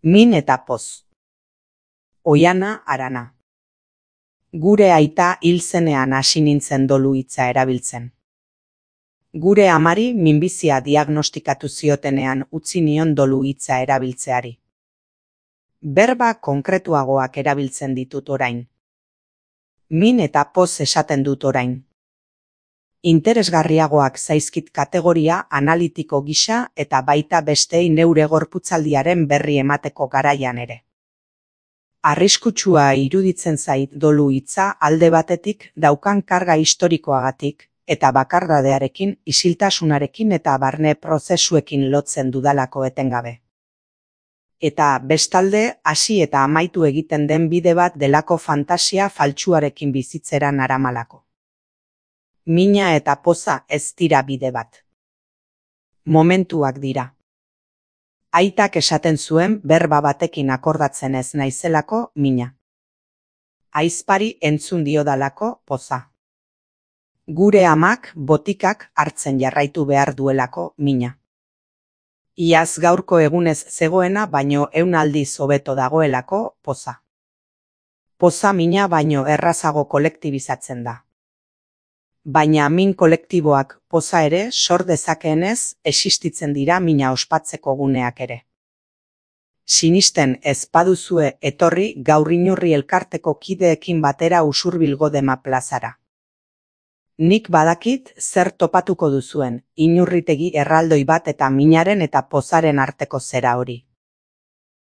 Min eta poz. Oiana Arana. Gure aita hil zenean hasi nintzen dolu hitza erabiltzen. Gure amari minbizia diagnostikatu ziotenean utzi nion dolu hitza erabiltzeari. Berba konkretuagoak erabiltzen ditut orain. Min eta poz esaten dut orain. Interesgarriagoak zaizkit kategoria analitiko gisa eta baita bestei neure gorputzaldiaren berri emateko garaian ere. Arriskutsua iruditzen zait dolu hitza alde batetik daukan karga historikoagatik eta bakardadearekin, isiltasunarekin eta barne prozesuekin lotzen dudalako etengabe. Eta bestalde hasi eta amaitu egiten den bide bat delako fantasia faltsuarekin bizitzera naramalako. Mina eta poza ez dira bide bat. Momentuak dira. Aitak esaten zuen berba batekin akordatzen ez naizelako mina. Ahizpari entzun diodalako poza. Gure amak botikak hartzen jarraitu behar duelako mina. Iaz gaurko egunez zegoena baino 100 aldiz hobeto dagoelako poza. Poza mina baino errazago kolektibizatzen da. Baina min kolektiboak poza ere sor dezakeenez existitzen dira mina ospatzeko guneak ere. Sinisten ez baduzue etorri gaur Inurri elkarteko kideekin batera Usurbilgo Dema plazara. Nik badakit zer topatuko duzuen, Inurritegi erraldoi bat eta minaren eta pozaren arteko zera hori.